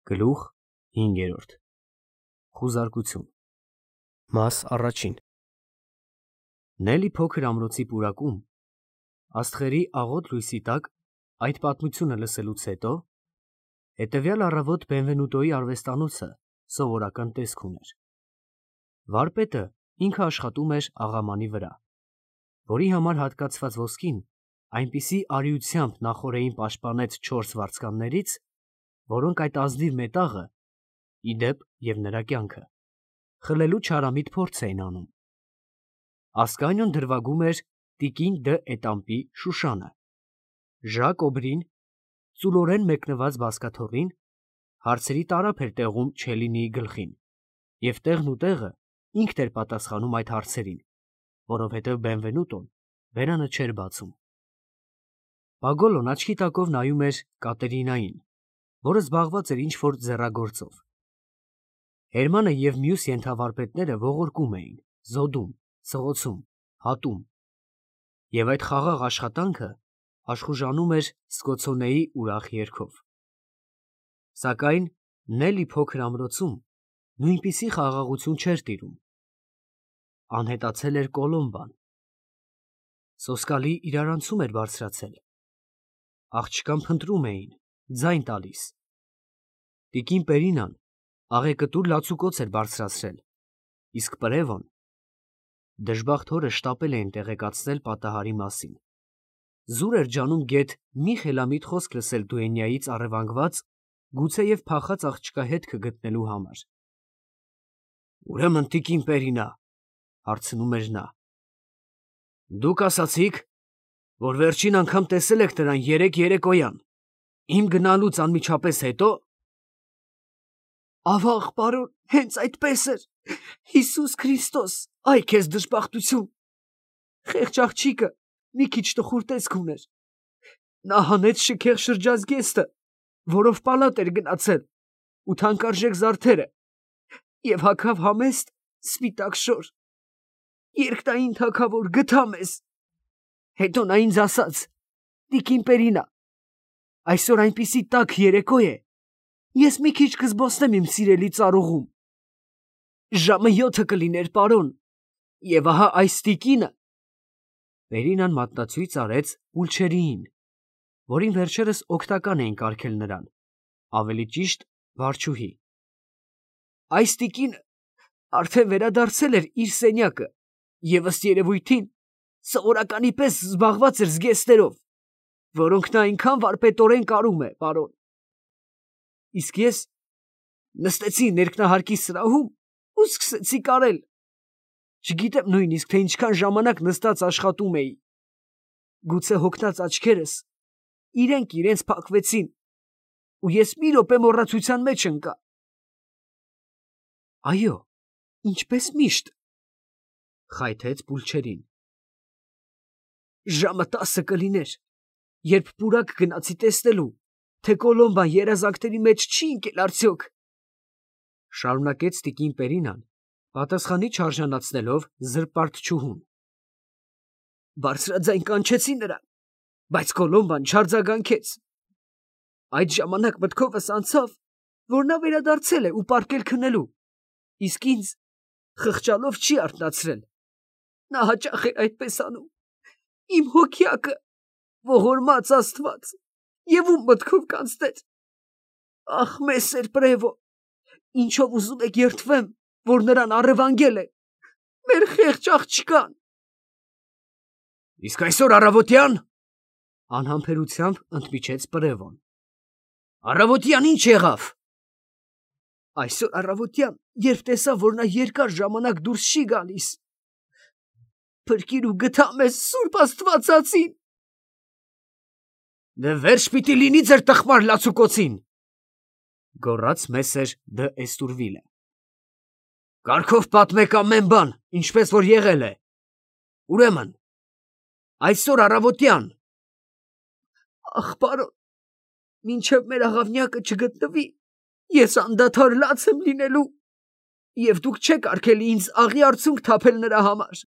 Գլուխ 5. Խուզարկություն։ Մաս առաջին։ Նելի փոքր ամրոցի պուրակում, աստղերի աղոտ լույսի տակ, այդ պատմությունը լսելուց հետո, հետևյալ առավոտ Բենվենուտոյի արվեստանոցը սովորական տեսք ուներ։ Վարպետը ինքը աշխատում էր աղամանի վրա, որի համար հատկացված ոսկին այնպիսի արիությամբ նախօրեին պաշտպանեց 4 վարձկաններից, որոնք այդ ազնիվ մետաղը, ի դեպ և նրա կյանքը, խլելու չարամիտ փորձ էին անում։ Ասկանիոն դրվագում էր տիկին Դ. Էտամպի Շուշանը, Ժակ Օբրին ծուլորեն մեկնված բազկաթոռին հարցերի տարափ էր տեղում Չելինիի գլխին, և տեղն ու տեղը ինքն էր պատասխանում այդ հարցերին, որովհետև Բենվենուտոն բերանը չէր բացում։ Պագոլոն աչքի տակով նայում էր Կատերինային, որը զբաղված էր ինչ-որ ձեռագործով։ Հերմանը և մյուս ենթավարպետները ողորկում էին, զոդում, սղոցում, հատում, և այդ խաղաղ աշխատանքը աշխուժանում էր սկոցոնեի ուրախ երգով։ Սակայն Նելի փոքր ամրոցում նույնպիսի խաղաղություն չէր տիրում։ Անհետացել էր Կոլոմբան։ Սոսկալի իրարանցում էր բարձրացել։ Աղջկան փնտրում էին, ձայն տալիս։ Տիկին Պերինան աղեկտուր լացուկոծ էր բարձրացրել, իսկ Պրևոն դժբախտ հորը շտապել էին տեղեկացնել պատահարի մասին։ Զուր էր ջանում գեթ մի խելամիտ խոսք լսել դուենյայից առևանգված, գուցեև փախած աղջկա հետքը գտնելու համար։ «Ուրեմն, տիկին Պերինա, ֊ հարցնում էր նա, ֊ դուք ասացիք, որ վերջին անգամ տեսել եք նրան երեկոյան, իմ գնալուց անմիջապես հետո։ ֊ Ավաղ, պարոն, հենց այդպես էր, Հիսուս Քրիստոս, այ քեզ դժբախտություն։ Խեղճ աղջիկը մի քիչ տխուր տեսք ուներ։ Նա հանեց շքեղ շրջազգեստը, որով պալատ էր գնացել, ու թանկարժեք զարդերը, և հագավ համեստ սպիտակ շոր։ Երկնային թագավոր, գթա մեզ։ Հետո նա ինձ ասաց. «Տիկին Պերինա, այսօր այնպիսի տաք երեկո է, ես մի քիչ կզբոսնեմ իմ սիրելի ծառուղում։ Ժամը 7 կլիներ, պարոն, և ահա այս տիկինը…» Պերինան մատնացույց արեց Պուլչերիին, որին վերջերս օգտական էին կարգել նրան, ավելի ճիշտ վարչուհի։ Այս տիկինը արդեն վերադարձել էր իր սենյակը և ըստ երևույթին սովորականի պես զբաղված էր զգեստներով, որոնք նա այնքան վարպետորեն կարում է, պարոն։ Իսկ ես նստեցի ներքնահարկի սրահում ու սկսեցի կարել։ Չգիտեմ նույնիսկ, թե ինչքան ժամանակ նստած աշխատում էի։ Գուցե հոգնած աչքերս իրենք իրենց փակվեցին, ու ես մի րոպե մոռացության մեջ ընկա։ Այո, ինչպես միշտ, ֊ խայթեց Պուլչերին։ Ժամը 10 կլիներ, երբ պուրակ գնացի տեսնելու, թե Կոլոմբան երազանքների մեջ չի ընկել արդյոք, ֊ շարունակեց տիկին Պերինան, պատասխանի չարժանացնելով զրպարտչուհուն։ Բարձրաձայն կանչեցի նրան, բայց Կոլոմբան չարձագանքեց։ Այդ ժամանակ մտքովս անցավ, որ նա վերադարձել է ու պառկել քնելու, իսկ ինձ խղճալով չի արթնացրել։ Նա հաճախ էր այդպես անում։ Իմ հոգյակը, ողորմած Աստված, և ում մտքով կանցներ։ Ախ, մեսեր Պրևո, ինչով ուզում եք երդվեմ, որ նրան առևանգել է, մեր խեղճ աղջկան։ Իսկ այսօր առավոտյան, ֊ անհամբերությամբ ընդմիջեց Պրևոն, ֊ առավոտյան ինչ եղավ։ Այսօր առավոտյան, երբ տեսա, որ նա երկար ժամանակ դուրս չի գալիս, փրկիր ու գթա մեզ Սուրբ Աստվածածին։ Դե վերջ պիտի լինի ձեր տխմար լացուկոցին, ֊ գոռաց մեսեր Դ. Էստուրվիլը։ Կարգով պատմեք ամեն բան, ինչպես որ եղել է։ Ուրեմն, այսօր առավոտյան… Ախ, պարոն, մինչև մեր աղավնյակը չգտնվի, ես անդադար լաց եմ լինելու, և դուք չեք արգելի ինձ աղի արցունք թափել նրա համար։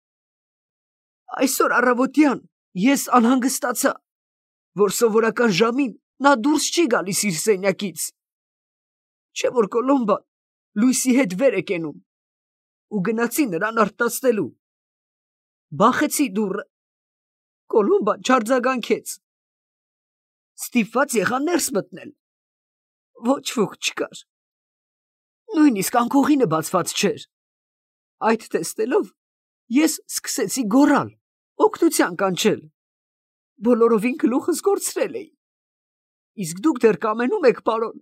Այսօր առավոտյան ես անհանգստացա, որ սովորական ժամին նա դուրս չի գալիս իր սենյակից։ չէ որ Կոլոմբան լույսի հետ վեր է կենում, ու գնացի նրան արտասնելու։ Բախեցի դուռը, Կոլոմբան չարձագանքեց, ստիպված եղա ներս մտնել, ոչ ոք չկար, նույնիսկ անկողինը բացված չէր։ Այդ տեսնելով ես սկսեցի գոռալ, օգնության կանչել, բոլորովին գլուխս կորցրել էի, իսկ դուք դեռ կամենում եք, պարոն,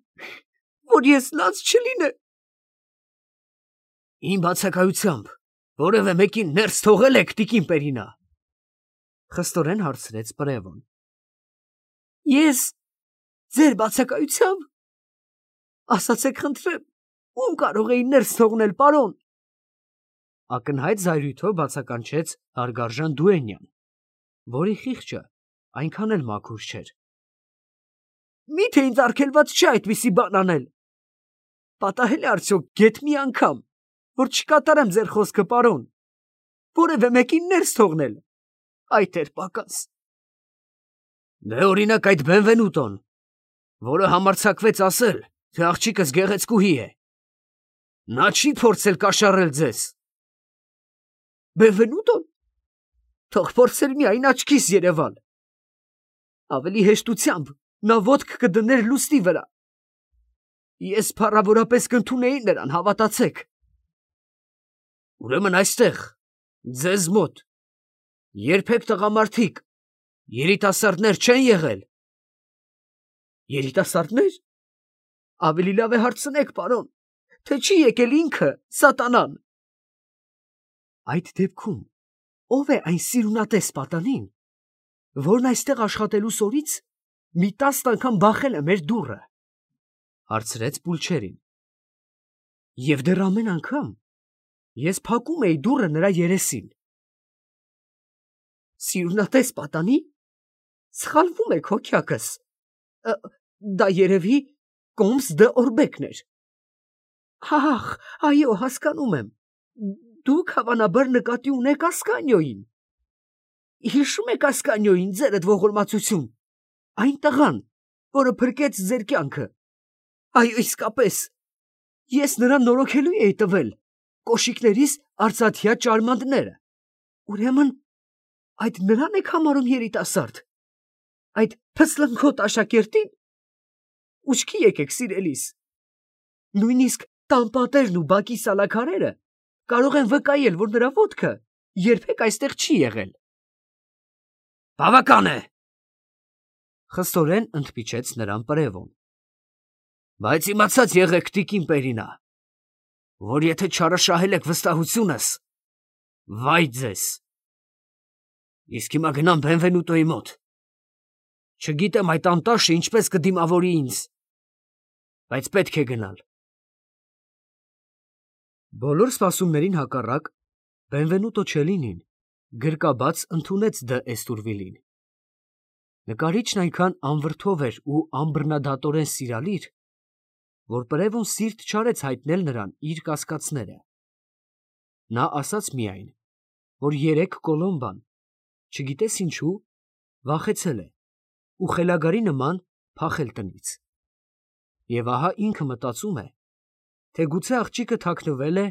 որ ես լաց չլինեմ։ Իմ բացակայությամբ որևէ մեկին ներս թողել եք, տիկին Պերինա, խստորեն հարցրեց Պրևոն։ Ես ձեր բացակայությամբ, ասացեք խնդրեմ, ում կարող էի ներս թողնել, պարոն։ Ակնհայտ զայրույթով բացականչեց հարգարժան Դուենյան, որի խիղճը այնքան էլ մաքուր չէր։ Միթե ինձ արգելված չէ այդպիսի բան անել։ Պատահել է արդյոք գեթ մի անգամ, որ չկատարեմ ձեր խոսքը, պարոն, որևէ մեկին ներս թողնել։ Այդ էր պակաս։ Դե օրինակ այդ Բենվենուտոն, որը համարձակվեց ասել, թե աղջիկս գեղեցկուհի է, նա չի փորձել կաշառել ձեզ։ Բենվենուտոն, թող փորձեր միայն աչքիս երևալ։ Ավելի հեշտությամբ նա ոտք կդներ լուսնի վրա։ Ես փառավորապես կընդունեի նրան, հավատացեք։ Ուրեմն այստեղ, ձեզ մոտ, երբեք տղամարդիկ, երիտասարդներ չեն եղել։ Երիտասարդներ։ Ավելի լավ է հարցնեք, պարոն, թե չի եկել ինքը, սատանան։ Այդ դեպքում ով է այն սիրունատես պատանին, որն այստեղ աշխատելու սորից մի 10 անգամ բախել է մեր դուռը, հարցրեց Պուլչերին։ Եվ դեռ ամեն անգամ ես փակում էի դուռը նրա երեսին։ Սիրունատես պատանի, սխալվում եք հոգյակս, դա երևի Կոմս դը Օրբեկն էր։ Ահ, այո, հասկանում եմ, դուք հավանաբար նկատի ունեք Ասկանյոյին։ Հիշում եք Ասկանյոյին, ձերդ ողորմածություն, այն տղան, որը փրկեց ձեր կյանքը։ Այո, իսկապես, ես նրան նորոգելու էի տվել կոշիկներիս արծաթյա ճարմանդները։ Ուրեմն, այդ նրան եք համարում երիտասարդ, այդ փսլնքոտ աշակերտին։ Ուշքի եկեք, սիրելիս, նույնիսկ տանպատերն ու բակի սալաքարերը կարող են վկայել, որ նրա ոտքը երբեք այստեղ չի եղել։ Բավական է, խստորեն ընդմիջեց նրան Պրևոն։ Բայց իմացած եղեք, տիկին Պերինա, որ եթե չարաշահել եք վստահությունս, վայ ձեզ։ Իսկ հիմա գնամ Բենվենուտոյի մոտ։ Չգիտեմ այդ անտաշը ինչպես կդիմավորի ինձ, բայց պետք է գնալ։ Բոլոր սպասումներին հակառակ Բենվենուտո Չելինին գրկաբաց ընդունեց Դ. Էստուրվիլին։ Նկարիչն այնքան անվրդով էր ու անբռնադատորեն սիրալիր, որ Պրևոն սիրտ չարեց հայտնել նրան իր կասկածները։ Նա ասաց միայն, որ երեկ Կոլոմբան, չգիտես ինչու, վախեցել է ու խելագարի նման փախել տնից։ Եվ ահա ինքը մտածում է, թե գուցե աղջիկը թաքնվել է,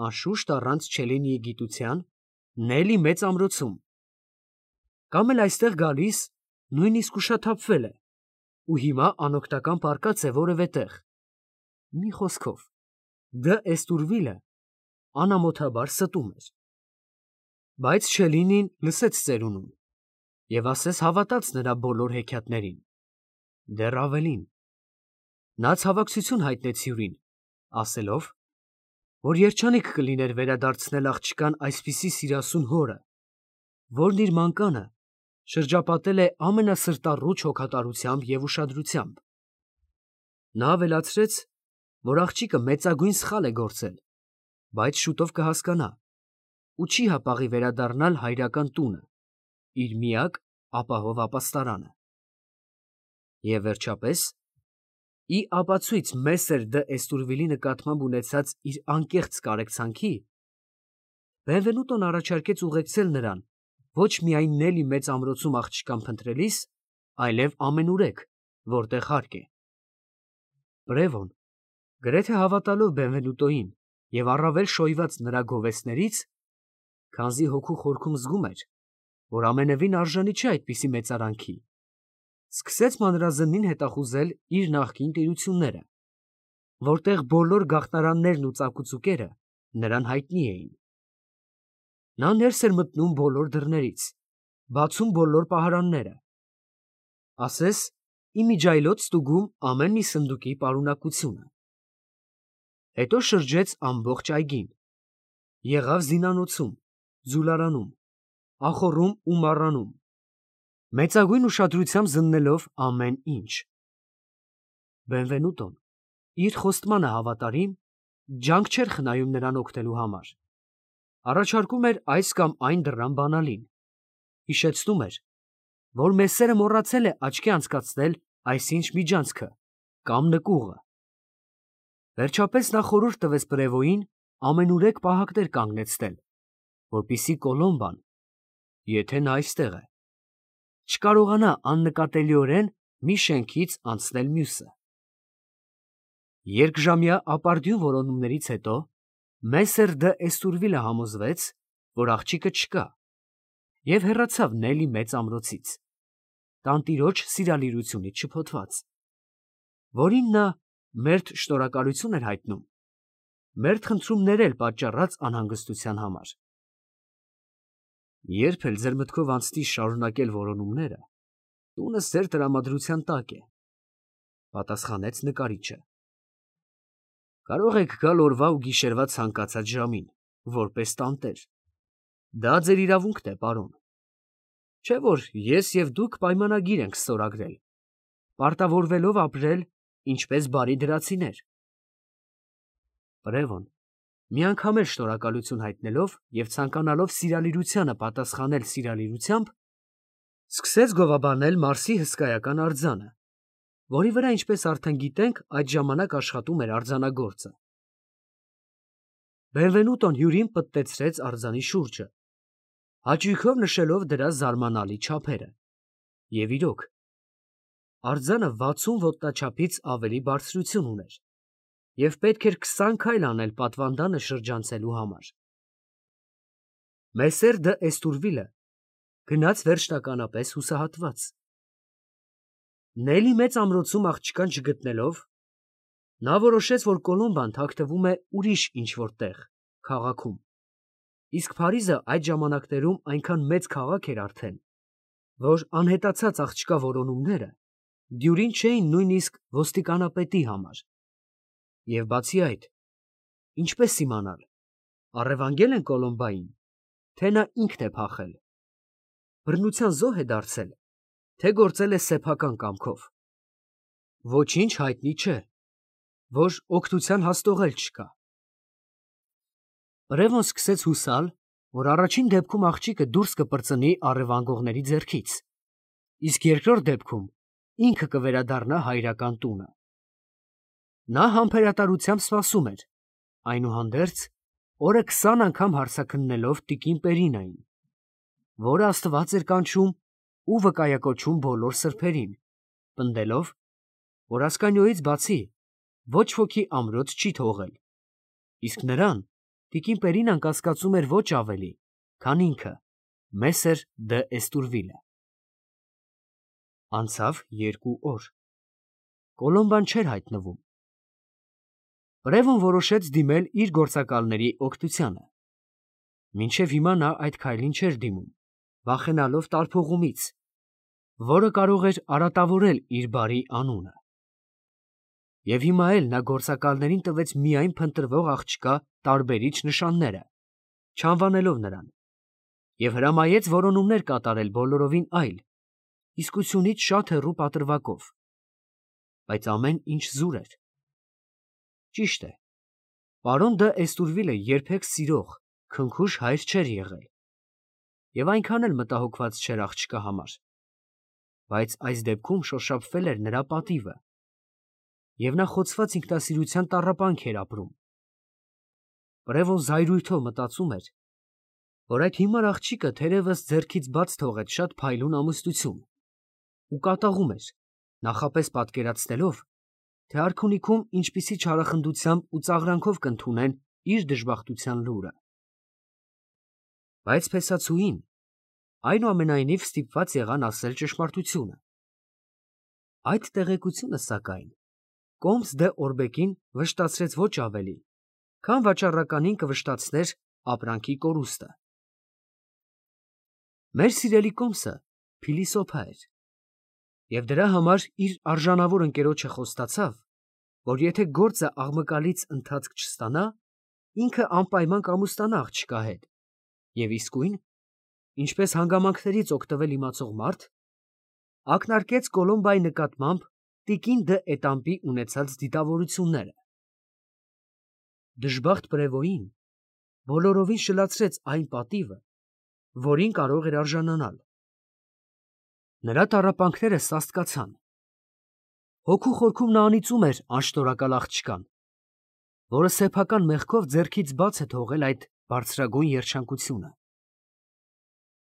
անշուշտ առանց Չելինիի գիտության, Նելի մեծ ամրոցում, կամ էլ այստեղ գալիս նույնիսկ ուշաթափվել է ու հիմա անօգնական պառկած է որևէ տեղ։ Մի խոսքով, Դ. Էստուրվիլը անամոթաբար ստում էր։ Բայց Չելինին լսեց ծերունուն և ասես հավատաց նրա բոլոր հեքիաթներին։ Դեռ ավելին, նա ցավակցություն հայտնեց հյուրին, ասելով, որ երջանիկ կլիներ վերադարձնել աղջկան այսպիսի սիրասուն հորը, որն իր մանկանը շրջապատել է ամենասրտառուչ հոգատարությամբ և ուշադրությամբ։ Նա ավելացրեց, որ աղջիկը մեծագույն սխալ է գործել, բայց շուտով կհասկանա ու չի հապաղի վերադառնալ հայրական տունը, իր միակ ապահով ապաստարանը։ Եվ վերջապես, ի ապացույց Մեսեր Դ. Էստուրվիլի նկատմամբ ունեցած իր անկեղծ կարեկցանքի, Բենվենուտոն առաջարկեց ուղեկցել նրան ոչ միայն Նելի մեծ ամրոցում աղջկան փնտրելիս, այլև ամենուրեք, որտեղ հարկ է։ Պրևոն, Գրեթե հավատալով Բենվենուտոին և առավել շոյված նրա գովեստներից, քանզի հոգու խորքում զգում էր, որ ամենևին արժանի չէ այդպիսի մեծարանքի, սկսեց մանրազնին հետախուզել իր նախկին տիրությունները, որտեղ բոլոր գաղտնարաններն ու ծակուցուկերը նրան հայտնի էին։ Նա ներս էր մտնում բոլոր դռներից, բացում բոլոր պահարանները, ասես իմիջիայլոց ստուգում ամեն մի սնդուկի պարունակությունը։ Հետո շրջեց ամբողջ այգին, եղավ զինանոցում, ձուլարանում, ախոռում ու մառանում, մեծագույն ուշադրությամբ զննելով ամեն ինչ։ Բենվենուտոն, իր խոստմանը հավատարիմ, ջանք չէր խնայում նրան օգնելու համար, առաջարկում էր այս կամ այն դռան բանալին, հիշեցնում էր, որ Մեսսերը մոռացել է աչքի անցկացնել այսինչ միջանցքը կամ նկուղը։ Վերջապես նա խորհուրդ տվեց պրևոյին ամենուրեք պահակներ կանգնեցնել, որպեսզի Կոլոմբան, եթե նա այստեղ է, չկարողանա աննկատելիորեն մի շենքից անցնել մյուսը։ Երկժամյա ապարդյուն որոնումներից հետո Մեսսեր դը Էստուրվիլը համոզվեց, որ աղջիկը չկա, և հեռացավ Նելի մեծ ամրոցից, տանտիրոջ սիրալիրությունից շփոթված, որին նա մերթ շնորհակալություն էր հայտնում, մերթ խնդրում ներել պատճառած անհանգստության համար։ Երբ էլ ձեր մտքով անցնի շարունակել որոնումները, տունս ձեր տրամադրության տակ է, պատասխանեց նկարիչը։ Կարող եք գալ օրվա ու գիշերվա ցանկացած ժամին, որպես տանտեր։ Դա ձեր իրավունքն է, պարոն։ Չէ՞ որ ես և դուք պայմանագիր ենք ստորագրել, պարտավորվելով ապրել ինչպես բարի դրացիներ։ Պրևոն, միանգամ էլ շնորհակալություն հայտնելով և ցանկանալով սիրալիրությանը պատասխանել սիրալիրությամբ, սկսեց գովաբանել Մարսի հսկայական արձանը, որի վրա, ինչպես արդեն գիտենք, այդ ժամանակ աշխատում էր արձանագործը։ Բենվենուտոն հյուրին պտտեցրեց արձանի շուրջը, հաճույքով նշելով դրա զարմանալի չափերը։ Եվ իրոք, արձանը 60 ոտնաչափից ավելի բարձրություն ուներ, և պետք էր 20 քայլ անել պատվանդանը շրջանցելու համար։ Մեսսեր դը Էստուրվիլը գնաց վերջնականապես հուսահատված։ Նելի մեծ ամրոցում աղջկան չգտնելով, նա որոշեց, որ Կոլոմբան թաքնվում է ուրիշ ինչ-որ տեղ, քաղաքում, իսկ Փարիզը այդ ժամանակներում այնքան մեծ քաղաք էր արդեն, որ անհետացած աղջկա որոնումները դյուրին չէին նույնիսկ ոստիկանապետի համար։ Եվ բացի այդ, ինչպես իմանալ, առևանգել են Կոլոմբային, թե նա ինքն է փախել, բռնության զոհ է դարձել, թե գործել է սեփական կամքով։ Ոչինչ հայտնի չէ, որ օգնության հաստողել չկա։ Պրևոն սկսեց հուսալ, որ առաջին դեպքում աղջիկը դուրս կպրծնի առևանգողների ձեռքից, իսկ երկրորդ դեպքում ինքը կվերադառնա հայրական տունը։ Նա համբերատարությամբ սպասում էր, այնուհանդերձ օրը 20 անգամ հարցաքննելով տիկին Պերինային, որը աստված էր կանչում ու վկայակոչում բոլոր սրբերին, պնդելով, որ Ասկանիոյից բացի ոչ ոքի ամրոց չի թողել, իսկ նրան տիկին Պերինան կասկածում էր ոչ ավելի, քան ինքը, Մեսսեր դը Էստուրվիլը։ Անցավ 2 օր։ Կոլոմբան չէր հայտնվում։ Պրևոն որոշեց դիմել իր գործակալների օգնությանը։ Մինչև հիմա նա այդ քայլին չէր դիմում, վախենալով տարփողումից, որը կարող էր արատավորել իր բարի անունը։ Եվ հիմա էլ նա գործակալներին տվեց միայն փնտրվող աղջկա տարբերիչ նշանները, չանվանելով նրան, և հրամայեց որոնումներ կատարել բոլորովին այլ, իսկությունից շատ հեռու պատրվակով, բայց ամեն ինչ զուր էր։ Ճիշտ է, պարոն դը Էստուրվիլը երբեք սիրող, քնքուշ հայր չէր եղել, և այնքան էլ մտահոգված չէր աղջկա համար, բայց այս դեպքում շոշափվել էր նրա պատիվը, և նա խոցված ինքնասիրության տառապանք էր ապրում։ Պրևոն զայրույթով մտածում էր, որ այդ հիմար աղջիկը թերևս ձեռքից բաց թողեց շատ փայլուն ամուսնություն ու կատաղում էր, նախապես պատկերացնելով, թե արքունիքում ինչպիսի չարախնդությամբ ու ծաղրանքով կընդունեն իր դժբախտության լուրը։ Բայց փեսացուին այնուամենայնիվ ստիպված եղան ասել ճշմարտությունը։ Այդ տեղեկությունը, սակայն, Կոմս դե Օրբեկին վշտացրեց ոչ ավելի, քան վաճառականին կվշտացներ ապրանքի կորուստը։ Մեր սիրելի Կոմսը փիլիսոփա էր, և դրա համար իր արժանավոր ընկերոջը խոստացավ, որ եթե գործը աղմկալից ընթացք չստանա, ինքը անպայման կամուստանա աղջկա հետ, և իսկույն, ինչպես հանգամանքներից օգտվել իմացող մարդ, ակնարկեց Կոլոմբայի նկատմամբ տիկին դը Էտամպի ունեցած դիտավորությունները։ Դժբախտ Պրևոյին բոլորովին շլացրեց այն պատիվը, որին կարող էր արժանանալ։ Նրա տառապանքները սաստկացան։ Հոգու խորքում նա անիծում էր անշնորհակալ աղջկան, որը սեփական մեղքով ձեռքից բաց է թողել այդ բարձրագույն երջանկությունը։